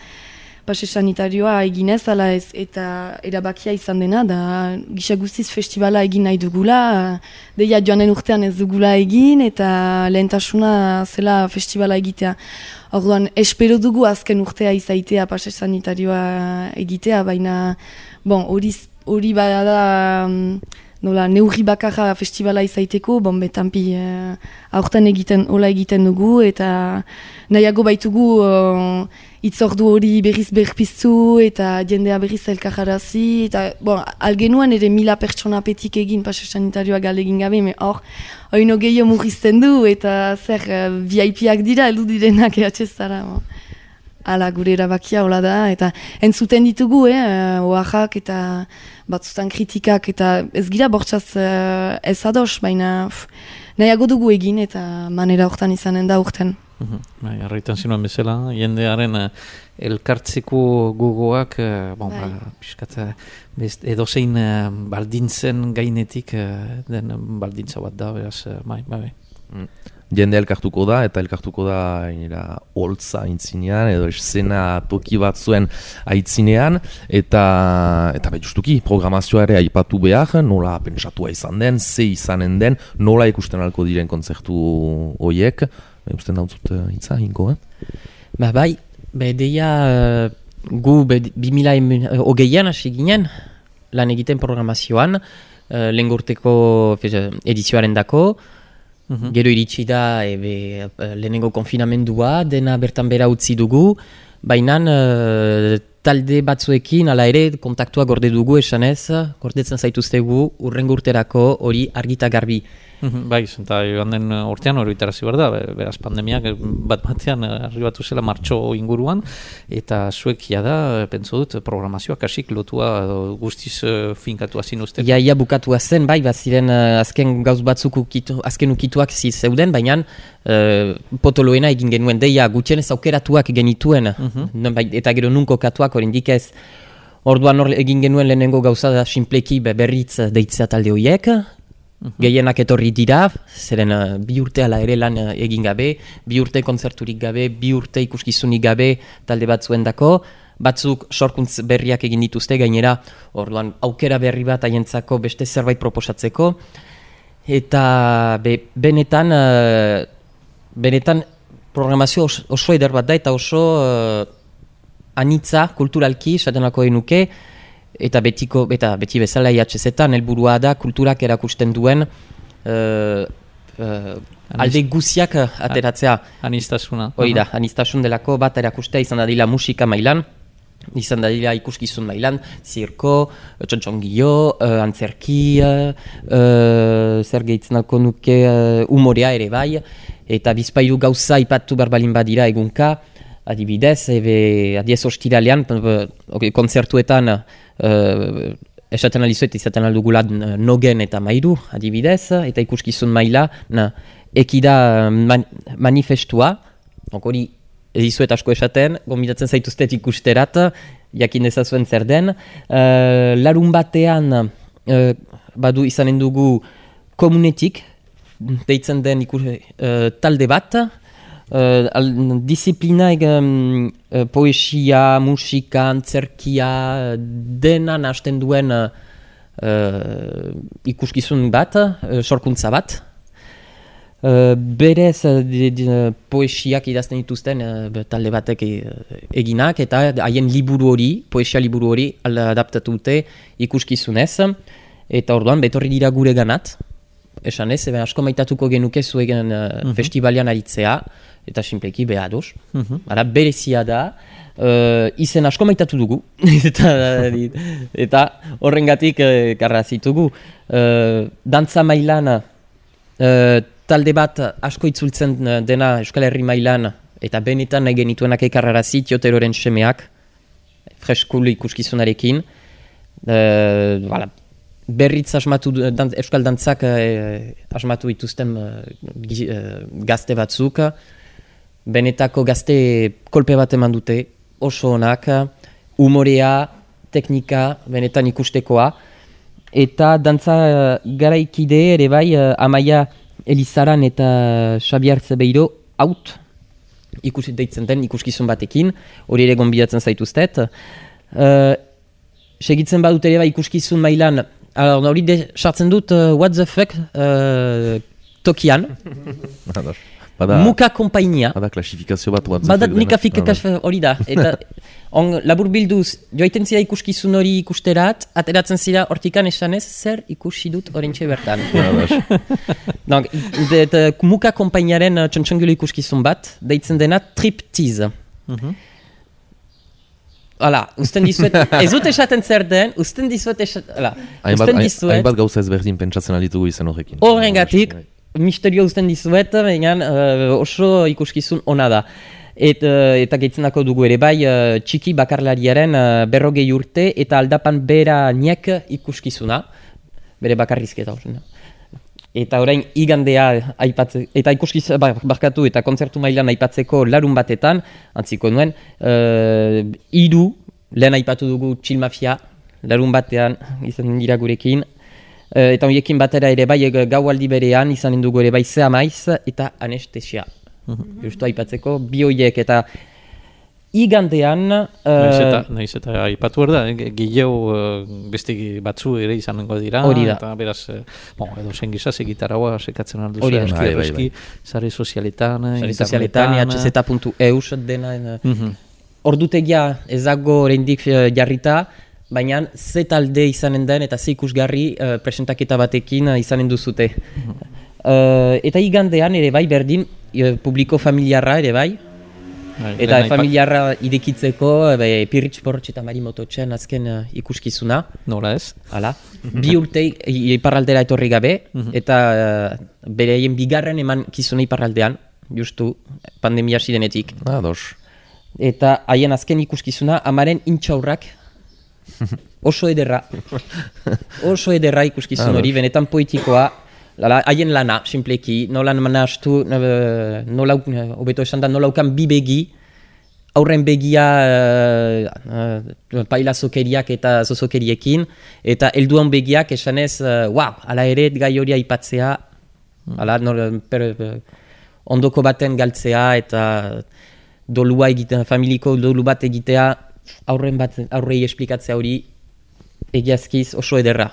pase sanitarioa eginez, ala ez, eta erabakia izan dena, da gisa guztiz festivala egin nahi dugula, deia joanen urtean ez dugula egin, eta lehentasuna zela festivala egitea. Orduan, espero dugu azken urtea izaitea pase sanitarioa egitea, baina, hori bada nola, neurri bakarra festivala izaiteko, betampi aurten egiten dugu, eta nahiago baitugu itzordu hori berriz berpiztu, eta jendea berriz elkararazi, eta algenuan ere 1000 pertsona petik egin pase sanitarioa galegin gabe, hor oino gehiago murrizten du, eta zer VIP-ak dira, heldu direnak ehatxezara. Ala, gure erabakia hola da, eta entzuten ditugu, oaxak eta batzutan kritikak, eta ez gira bortxaz ez ados, baina nahiago dugu egin, eta manera hortan izanen da urten. Arraitan zinuen bezala, jendearen elkartzeko gogoak, piskat edozein baldintzen gainetik den baldintza bat da, beraz, Jende elkartuko da, eta elkartuko da holtza aintzinean, edo escena toki bat zuen aitzinean, eta justuki programazioa ere aipatu behar, nola pentsatua izan den, ze izanen den, nola ikusten alko diren kontzertu horiek, usten dautzut hitza, hinko, deia gu 2020an hasi ginen, lan egiten programazioan, lehen urteko edizioaren dako, gero iritsi da lehenengo konfinamendua, dena bertan bera utzi dugu, baina talde batzuekin, ala ere, kontaktua gorde dugu esanez, gordetzen zaituztegu urrengo urterako hori argita garbi. Eta joan den urtean hori itarazi behar da, beraz pandemiak bat-batean arribatu zela martxo inguruan, eta zuekia da, pentso dut, programazioak hasik lotua guztiz finkatua zinuzten. Ia bukatua zen, baziren azken gauz batzuk azken ukituak zeuden, baina potoloena egin genuen, deia gutxienez aukeratuak genituen, eta gero nunko katuak oraindik ez. Orduan egin genuen lehenengo gauza da sinpleki berritz deitzea talde horiek, gehienak etorri dira, zeren 2 urte ala ere lan egin gabe, 2 urte kontzerturik gabe, 2 urte ikuskizunik gabe talde batzuendako, batzuk sorkuntz berriak egin dituzte gainera, orduan aukera berri bat haientzako beste zerbait proposatzeko, eta benetan programazio oso eder bat da, eta oso anitza kulturalki, esatenako enuke, eta beti bezala IHZ-etan helburua da kulturak erakusten duen alde guziak ateratzea. Anistasuna. Hoi da, anistasun delako bat erakustea izan dadila musika mailan, izan dadila ikuskizun mailan, zirko, txontxongio, antzerki, zer gehitzen alko nuke umorea ere bai, eta bizpailu gauza ipatu berbalin badira egunka, adibidez, adiez ostiralean, kontzertuetan esaten alizuet izaten aldugula nogen eta mairu, adibidez, eta ikuskizun maila, ekida manifestua, hori edizuet asko esaten, gomitatzen zaituztet ikusterat, jakin dezazuen zer den, larun batean badu izanen dugu komunetik, deitzen den talde bat, disiplina poesia, musika, antzerkia, dena nahasten duen ikuskizun bat, sorkuntza bat. Berez poesiak idazten dituzten talde batek eginak eta haien liburu hori, poesia liburu hori adaptatu dute ikuskizunez eta orduan betorri dira gure ganat esan ez, asko maitatuko genuke zuegen festivalian aritzea eta simpleki behados berezia da izen asko maitatu dugu eta horrengatik karra zitugu dantza mailan talde bat asko itzultzen dena Euskal Herri mailan eta benetan nahi genituenak ekarrarazi Tioteroren semeak freskulu ikuskizunarekin berritz asmatu Euskal Dantzak asmatu dituzten gazte batzuk benetako gazte kolpe bat eman dute oso onak umorea, teknika benetan ikustekoa eta dantza garaikide ere bai Amaia Elizaran eta Xabiar Zebeiro out deitzen den ikuskizun batekin, hori ere gonbidatzen zaituztet. Segitzen badut ere ikuskizun mailan, hori sartzen dut what the fuck tokian. Muka kompainia. Bada klasifikazio bat what the fuck. Bada klasifikazio hori da. Eta labur bilduz, joaiten zira ikuskizun hori ikusterat, ateratzen zira hortikan esanez, zer ikusi dut orentxe bertan. Donc, muka kompainiaren txontxongilo ikuskizun bat, deitzen dena triptiz. Hala, usten dizuet, ez dut esaten zer den, usten dizuet hainbat gauza ezberdin pentsatzen alitugu izan horrekin. Horrengatik, misterio usten dizuet, baina oso ikuskizun ona da. Eta gehitzen dugu ere bai txiki bakarlariaren 40 urte eta aldapan bera niek ikuskizuna, bere bakarrizketa. Eta orain igandea aipatzen, eta barkatu eta kontzertu mailan aipatzeko larun batetan, antziko nuen, 3 lehen aipatu dugu Chill Mafia, larun batean izan dira gurekin, eta horiekin batera ere bai gaualdi berean izanen dugu ere bai Zea Maiz eta Anestesia. Justu aipatzeko, bi horiek eta igandean... Naiz eta aipatu behar da, gehiago beste batzu ere izanengo dira. Hori da. Eta beraz, edo zen gizaz egitaragoa sekatzen alduzu. Eski, sare sozialetan, hz.eus dena. Ordutegia ezago oraindik jarrita, baina ze talde izanen den eta ze ikusgarri presentaketa batekin izanen duzute. Eta igandean ere bai berdin publiko familiarra ere bai eta familiarra idekitzeko Pirritx Porrotx eta Mari Mototxen azken ikuskizuna. Nola ez? Hala. 2 urte iparraldera etorri gabe eta bereien bigarren eman kizuna iparraldean justu pandemia hasi denetik. Eta haien azken ikuskizuna amaren intxaurrak oso ederra ikuskizun hori, benetan poetikoa. Haien lana, simpleki, nola manastu, hobeto esan da, nola ukan bi begi, aurren begia pailazokeriak eta zozokeriekin, eta helduan begiak esanez, ala ere gai hori aipatzea, ondoko baten galtzea eta dolua egitea, familiko dolu bat egitea, aurrei esplikatzea hori, egiazkiz oso ederra.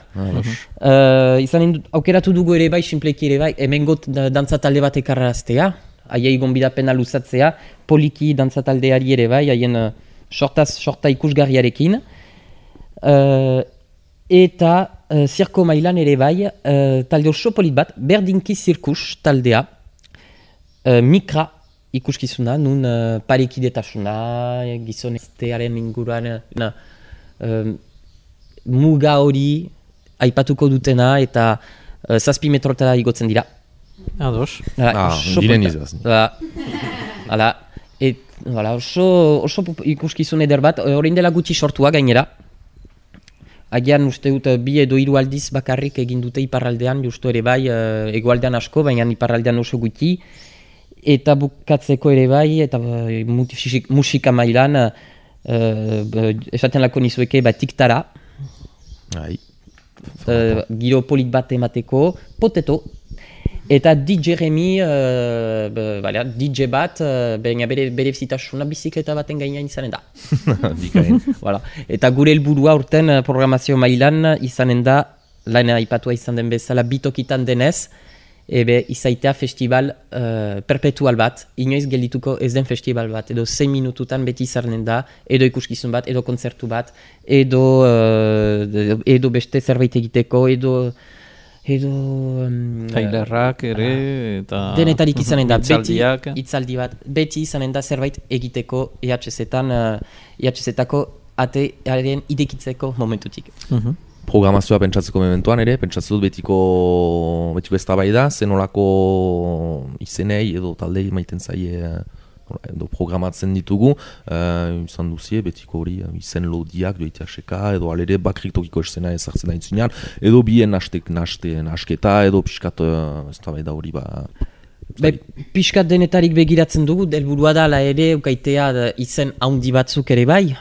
Aukeratu dugu ere bai, simpleki ere bai, hemengot dantza talde bat ekarraztea, haiei gonbidapena luzatzea, poliki dantza taldeari ere bai, haien sorta ikusgarriarekin, eta zirko mailan ere bai, talde oso polit bat, berdinki zirkus taldea, mikra ikuskizuna, nun parekidetasuna, gizoneztearen inguruan, muga hori aipatuko dutena eta 7 metrotara igotzen dira. Ados. Diren izaz. Oso ikuskizun eder bat, orain dela gutxi sortua gainera. Agian uste dut 2 edo 3 aldiz bakarrik egin dute iparraldean, justu ere bai, egoaldean asko, baina iparraldean oso gutxi. Eta bukatzeko ere bai, eta musika mailan, esaten lako nizueke, tiktara, giro polit bat emateko, poteto, Eta DJ Remi, DJ bat, bere zitasuna bizikleta baten gainean izanen da. Voilà. Eta gure helburua urten programazio mailan izanen da, lehen aipatua izan den bezala bitokitan denez, izaitea festival perpetual bat, inoiz geldituko ez den festival bat, edo 6 minututan beti izanen da, edo ikuskizun bat, edo kontzertu bat, edo beste zerbait egiteko, edo tailerrak ere, eta denetarik izanen da, beti hitzaldi bat, beti izanen da zerbait egiteko EHZ-etako atearen idekitzeko momentutik. Programazioa pentsatzeko mementoan ere, pentsatzen dut betiko eztabaida, zenolako izenei edo taldei maiten zaie edo programatzen ditugu, izan duzie betiko hori izen lodiak joitea seka, edo alere bakrik tokiko esena ezartzen da intzinean, edo bien nasketa, edo piskat eztabaida hori Piskat denetarik begiratzen dugu, helburua da ere ukaitea izen haundi batzuk ere bai,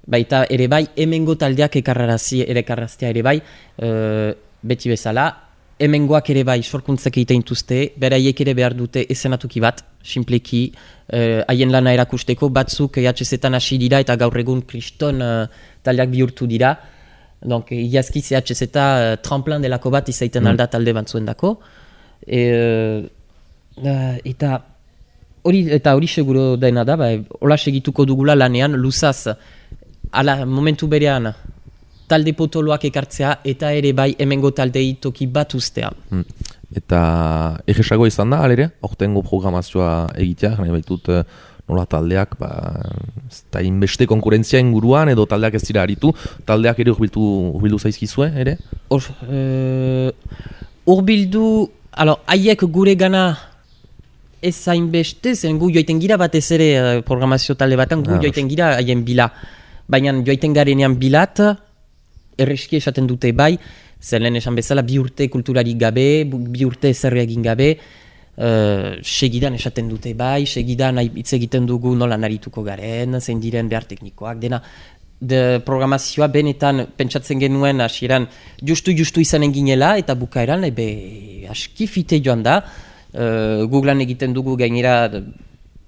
baita ere bai, hemengo taldeak ekarraztea ere bai, beti bezala, hemengoak ere bai sorkuntzak egiten dituzte, beraiek ere behar dute ezenatuki bat, simpleki, haien lana erakusteko, batzuk EHZ-etan hasi dira eta gaur egun kriston taldeak bihurtu dira, donc iazkiz EHZ-eta tremplin delako bat izaiten alda talde batzuen dako, eta hori seguro dena da, hola segituko dugula lanean, luzaz, ala momentu berean talde potoloak ekartzea eta ere bai hemengo taldei toki bat ustea. Eta egesago izan da, alere, aurtengo programazioa egitea, nahi baitut nola taldeak, ez da inbeste konkurentzia inguruan edo taldeak ez dira aritu, taldeak ere urbildu zaizkizue, ere? Urbildu, haiek gure gana ez hainbeste, zen gu joiten gira batez ere programazio talde batan, gu joiten gira haien bila. Baina joiten garenean bilat, erreski esaten dute bai, zer lehen esan bezala bi urte kulturarik gabe, bi urte zerre egin gabe, segidan esaten dute bai, segidan hitz egiten dugu nola narituko garen, zein diren behar teknikoak, dena programazioa benetan pentsatzen genuen hasieran justu izanen ginela eta bukaeran aski fite joan da, Googlean egiten dugu gainera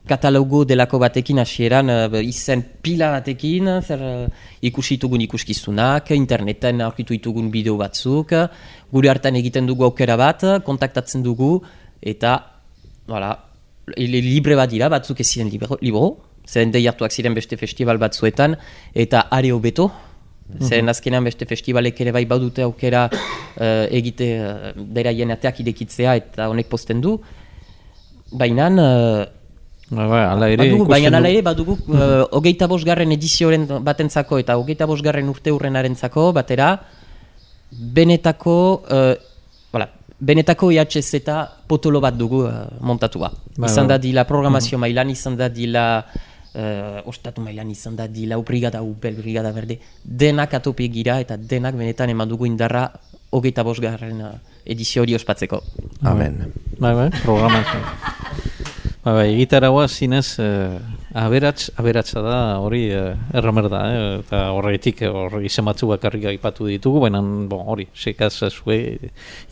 katalogo delako batekin hasieran izen pila batekin, ikusi ditugun ikuskizunak, interneten aurkitu ditugun bideo batzuk, gure hartan egiten dugu aukera bat, kontaktatzen dugu, eta libre bat dira, batzuk ez ziren libro, zeren deiartuak ziren beste festival batzuetan, eta are hobeto, zeren azkenean beste festivalek ere bai badute aukera egite beraien ateak idekitzea eta honek posten du, baina ala ere badugu 25. edizioaren batentzako eta 25. urte hurrenarentzako batera benetako EHZ eta potolo bat dugu montatua. Izan da dila programazio mailan, izan da dila ostatu mailan, izan da dila brigada upel, brigada berde, denak atope gira eta denak benetan eman dugu indarra 25. edizio hori ospatzeko. Amen. Programazio. Egitaragoa zinez aberatsa da hori erramer da, eta horretik izen batzu bakarrik aipatu ditugu, baina hori, sekaz zue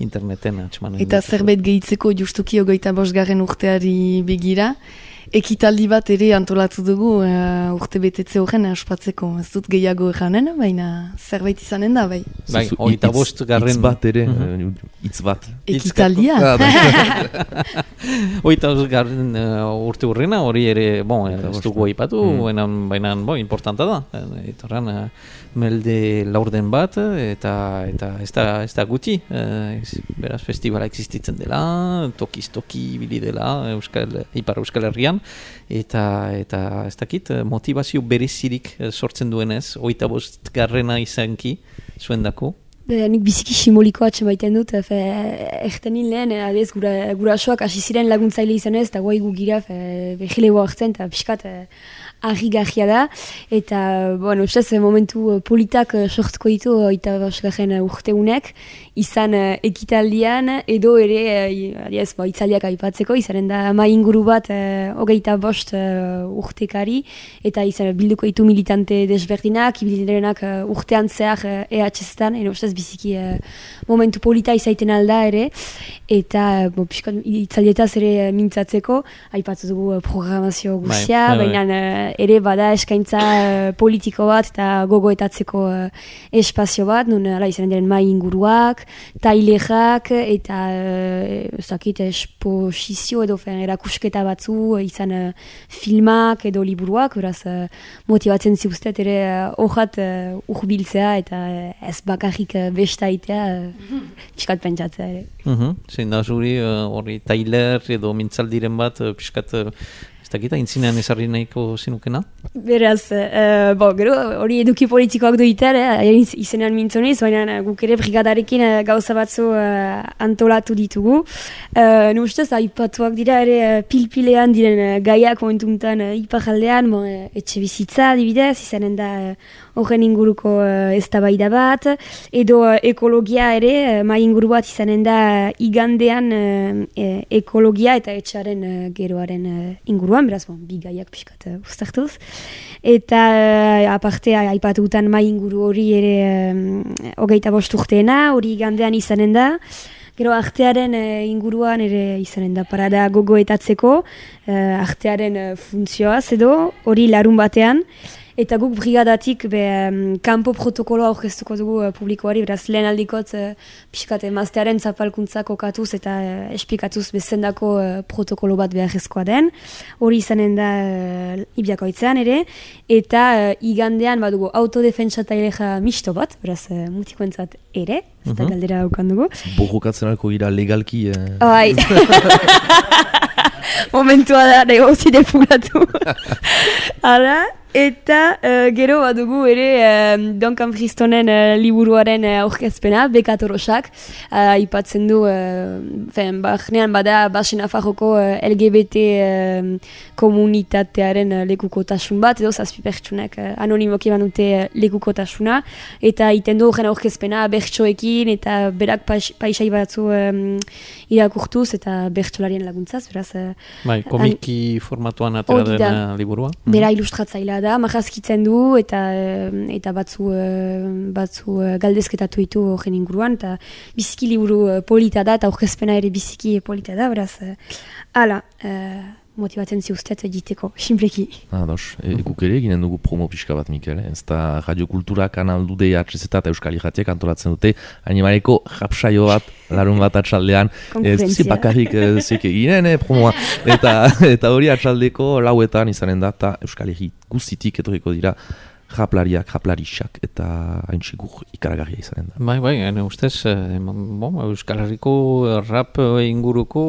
interneten atxemanen. Eta zerbait gehitzeko justuki 25. urteari begira, ekitaldi bat ere antolatu dugu urte betetze horren ospatzeko. Ez dut gehiago eranen, baina zerbait izanen da, bai. Bai, 25. Hitz bat ere, hitz bat. Ekitaldia. 25. urte hurrena, hori ere, ez dugu aipatu, baina importanta da. Etorran, melde laurden bat, eta ez da guti. Beraz, festivala existitzen dela, tokiz-toki bili dela, Ipar Euskal Herrian, eta ez dakit, motivazio berezirik sortzen duenez, 25. izanki, zuen dako. Nik biziki simbolikoa atxemaiten dut, ertenin lehen, adez, gurasoak hasi ziren laguntzaile izanez, eta guai gu gira, behilegoa hartzen, eta pixkat argi-garria da, eta, bueno, ustez, momentu politak sortuko ditu 25. urteunek, izan ekitaldian, edo ere, itzaldiak aipatzeko, izanen da mai inguru bat 25 urtekari, eta izan bilduko ditu militante desberdinak, ibildirenak urtean zehar EHZ-tan, ustez biziki momentu polita izaiten alda ere, eta itzaldietaz ere mintzatzeko, aipatu dugu programazio guztia, baina ere bada eskaintza politiko bat eta gogoetatzeko espazio bat, nun izanen diren mai inguruak, tailerak eta esposizio edo erakusketa batzu, izan filmak edo liburuak, beraz motibatzen ziuztet ere horrat urbiltzea eta ez bakarrik bestaitea piskat pentsatzea ere. Zein da zuri hori tailer edo mintzaldiren bat piskat ez dakita intzinean ezarri nahiko zinukena? Beraz, gero hori eduki politikoak duitar, izenean mintzoniz, baina guk ere brigadarekin gauza batzu antolatu ditugu. Nustez, aipatuak dira ere pilpilean diren gaiak momentuntan iparaldean, etxe bizitza adibidez, izanen da horren inguruko eztabaida bat, edo ekologia ere, mai inguru bat izanen da igandean ekologia eta etxearen geroaren inguruan, beraz, bi gaiak pixkat uztartuz. Eta aparte aipatutan mai inguru hori ere 25 urteena, hori igandean izanen da. Gero artearen inguruan ere izanen da parada gogoetatzeko, artearen funtzioaz edo, hori larun batean. Eta guk brigadatik kanpo protokoloa aurkeztuko dugu publikoari, beraz lehen aldikot pixkat emaztearen zapalkuntza kokatuz eta esplikatuz bezendako protokolo bat beharrezkoa den. Hori izanen da Ibiakoitzean ere, eta igandean badugu autodefentsa taileja misto bat, beraz mutikoentzat ere, ez da galdera haukan dugu. Borrokatzen alko gira legalki... Momentua da, negozi defugatu. Hala, eta gero badugu ere Duncan Fristonen liburuaren aurkezpena, Bekatorosak, aipatzen du, bahnean bada Basen Nafarroko LGBT komunitatearen lekukotasun bat, edo zazpi pertsunek anonimoki banute lekukotasuna, eta iten du horren aurkezpena bertsoekin, eta berak paisai batzu irakurtuz, eta bertsolarien laguntzaz, beraz... komiki formatuan atera den liburua. Bera ilustratzailea da, marrazkitzen du eta batzu galdezketatu ditu horren inguruan, eta biziki liburu polita da, eta aurkezpena ere biziki polita da, beraz, motibatzen ziuztet egiteko, simpleki. Guk ere ginen dugu promo pixka bat, Mikel, ez da radiokultura kanal du DHZ eta Euskal Irratiak antolatzen dute animaleko japsaio bat, larun bat atxaldean, ez duzi bakarrik zeke ginen promoa, eta hori atxaldeko lauetan izanen da, eta Euskal Irri guztitik etorriko dira japlariak, japlarixak, eta haintxigur ikaragarria izanen da. Bai, ustez, Euskal Herriko rap inguruko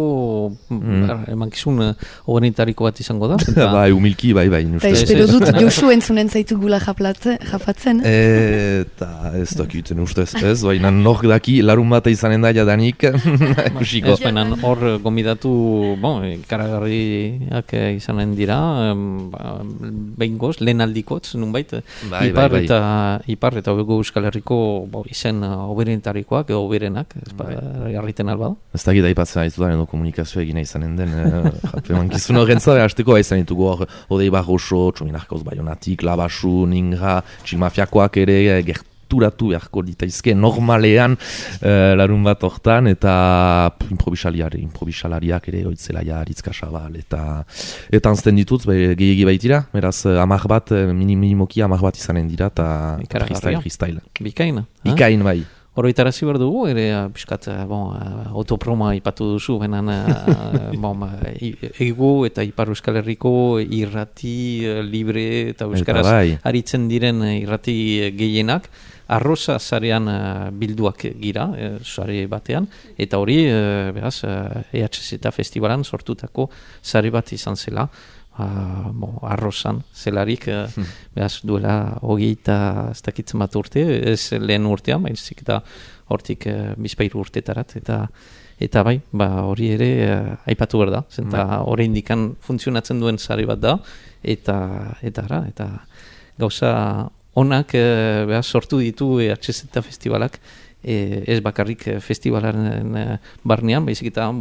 emankizun horrenitariko bat izango da. Bai, humilki, bai. Eta espero dut Josu entzunen zaitu gula japatzen. Eta ez dakiten ustez, ez, baina nok daki larun bat izanen da jadanik, kusiko. Ez baina hor gomidatu, ikaragarriak izanen dira, behingoz, lehen aldikotz, nunbait, Ipar eta Euskal Herriko izen oberentarikoak edo oberenak, jarriten alba da. Ez dakit aipatzen aiztudan edo komunikazioa egina izanen den, mankizun horren zabe, hasteko izan ditugu hor, Odei Barroso, Txominarkauz Baionatik, Labasu, Ningra, Txilmafiakoak ere, gerturatu beharko ditaizke normalean larun bat hortan, eta improbisalariak ere oitzelaia Aritzka Xabal, eta anzten ditut, gehiagi baitira, beraz, minimoki 10 bat izanen dira, eta freestyle. Bikain? Bikain, bai. Oroitarazi behar dugu, ere piskat autoproma ipatu duzu, benan egu eta Ipar Euskal Herriko irrati libre eta euskaraz aritzen diren irrati gehienak, Arrosa zarean bilduak gira, zare batean, eta hori, beraz, EHZ festivalan sortutako zare bat izan zela, Arrosan zelarik, beraz, duela 20 bat urte, ez lehen urtean, baizik eta hortik bizpairu urtetarat, eta Eta bai, hori ere aipatu behar da, zenta hori indikan funtzionatzen duen sare bat da, eta gauza onak sortu ditu EHZ Festivalak, ez bakarrik festivalaren barnean, baizik eta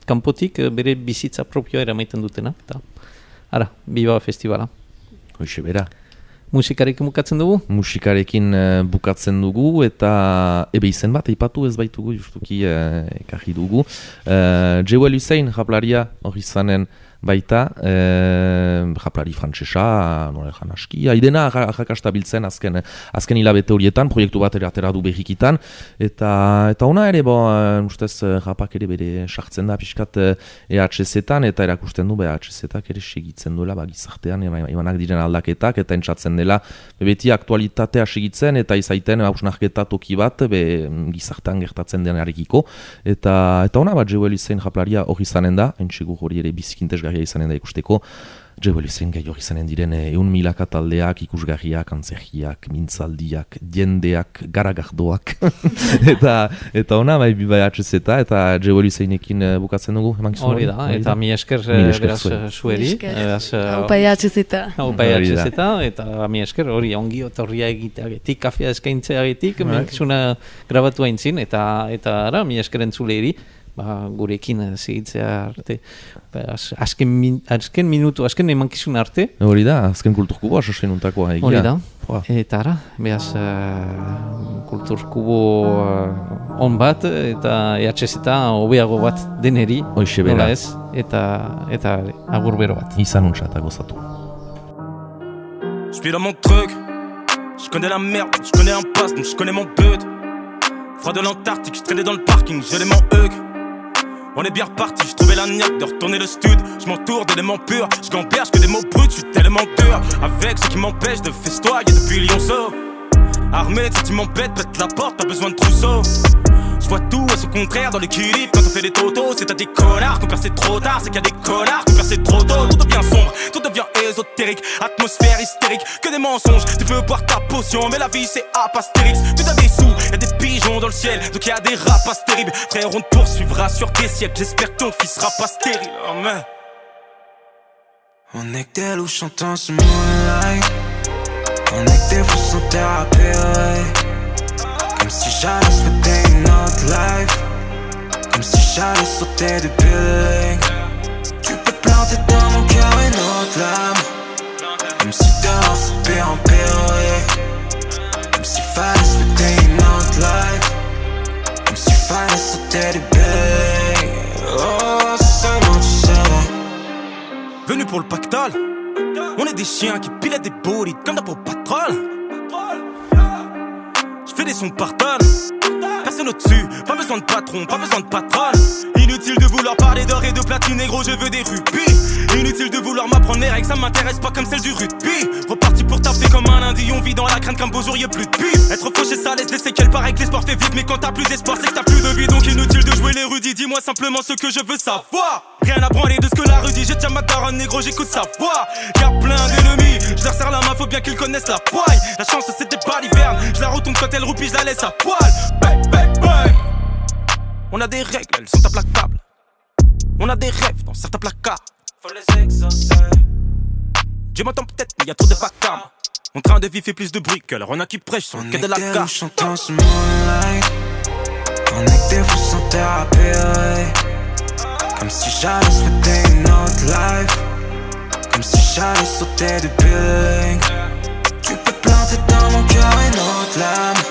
kanpotik bere bizitza propioa eramaiten dutena. Eta, biba festivala. Hoxe bera. Musikarekin bukatzen dugu? Musikarekin bukatzen dugu eta izen bat aipatu ez baitugu justuki ekarri dugu. Jewel Hussein japlaria hori zanen baita, japlari frantsesa, nola egan aski, haidena jakasta biltzen azken hilabete horietan, proiektu bat atera du behikitan, eta ona ere, ustez japak ere bere sartzen da pixkat EHZ-etan, eta erakusten du EHZ-etak ere segitzen duela gizartean, emanak diren aldaketak, eta entzatzen dela beti aktualitatea segitzen, eta izaiten hausnarketa toki bat gizartean gertatzen denarekiko, eta ona Jewel Hussein japlaria hori zanen da, entxegur hori ere bizikintez izanen da ikusteko, Jewel Hussein gai hori izanen diren 1.000 taldeak, ikusgarriak, antzerkiak, mintzaldiak, jendeak, garagardoak, eta ona bai EHZ eta Jewel Husseinekin bukatzen dugu, eman gizun hori da, eta mi esker beraz zueri. Haupa EHZ. Haupa EHZ, eta mi esker hori ongi otorria egiteagetik, kafea eskaintzeagetik, menkizuna grabatu haintzin, eta mi esker entzuleiri, gurekin segitzea arte, azken minutu, azken emankizun arte. Hori da, azken kulturkubo asosenuntakoa egia. Hori da, eta behaz kulturkubo on bat, eta EHZ eta hobeago bat deneri, nola ez, eta agur bero bat. Izan untsa eta gozatu. Je suis dans mon truc, je connais la merde, je connais un pass, donc je connais mon but. Froid de l'Antarctique, je traînais dans le parking, je mon hug. On est bien reparti, je trouvais la niaque de retourner le stud. Je m'entoure d'éléments purs, je gamberge que des mots bruts, je suis tellement dur. Avec ce qui m'empêche de festoyer depuis Lyonceau. Armé de sentiments bêtes, pète la porte, pas besoin de trousseau. Je vois tout à son contraire dans l'équilibre quand on fait des totos. C'est à des connards qu'on perce trop tard, c'est qu'il y a des connards qu'on perce trop tôt. Tout devient sombre, tout devient ésotérique, atmosphère hystérique, que des mensonges. Tu peux boire ta potion, mais la vie c'est apastérix. Tu as des sous, y'a des pigeons dans le ciel, donc y'a des rapaces terribles. Frère, on te poursuivra sur tes siècles, j'espère que ton fils sera pas stérile. Oh, mais... On est que des loups chantant ce moonlight. On est que des fous sans thérapie, ouais. Comme si j'allais souhaiter une autre life. Comme si j'allais sauter du building. Tu peux planter dans mon cœur une autre lame. Comme si dehors c'est pire en pire, ouais. Comme s'il fallait souhaiter une autre life. Comme s'il fallait sauter du building. Oh, c'est seulement tu savais. Venu pour le pactole. On est des chiens qui pilotent des bolides comme dans Paw Patrol. J'fais des sons par tonne, personne au-dessus, pas besoin de patron, pas besoin de patronne. Inutile de vouloir parler d'or et de platine, négro, je veux des rubis. Inutile de vouloir m'apprendre mes règles, ça m'intéresse pas comme celle du rugby. Reparti pour taper comme un lundi, on vit dans la crainte qu'un beau jour y'a plus de bif. Être fauché ça laisse des séquelles, pareil que l'espoir fait vivre. Mais quand t'as plus d'espoir c'est que t'as plus de vie. Donc inutile de jouer l'érudit, dis-moi simplement ce que je veux savoir. Rien à branler de ce que la rue dit, j'ai déjà ma daronne, négro, j'écoute sa voix. Y'a plein d'ennemis, je leur serre la main, faut bien qu'ils connaissent la poille. La chance c'était pas l'hiverne, je la retourne quand elle roupie, je la laisse à poil. Bang, bang, bang. On a des règles, elles sont implacables. On a des rêves dans certains placards, faut les exaucer. Dieu m'entend peut-être, mais y'a trop de vacarme. Mon train de vie fait plus de bruit que leur on a qui prêche sur le quai de la gare. On est que ce moonlight. On est que des fous sans thérapie, ouais. Comme si j'allais souhaiter une autre life. Comme si j'allais sauter du building. Tu peux planter dans mon cœur une autre lame.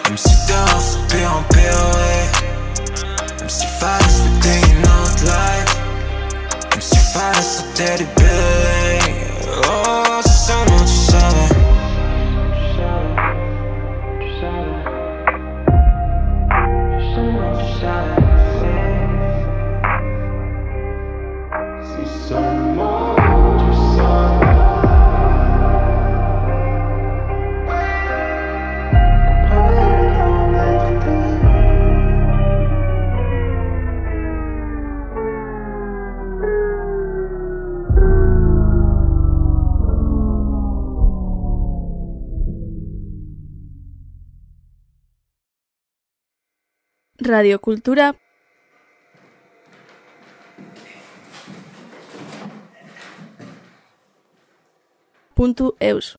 Comme si dehors c'est pire en pire, ouais. Comme s'il fallait souhaiter une autre life. Comme s'il fallait sauter du building. Oh, c'est seulement tu savais. Tu savais. Seulement tu savais. Si seulement tu savais. radiokultura.eus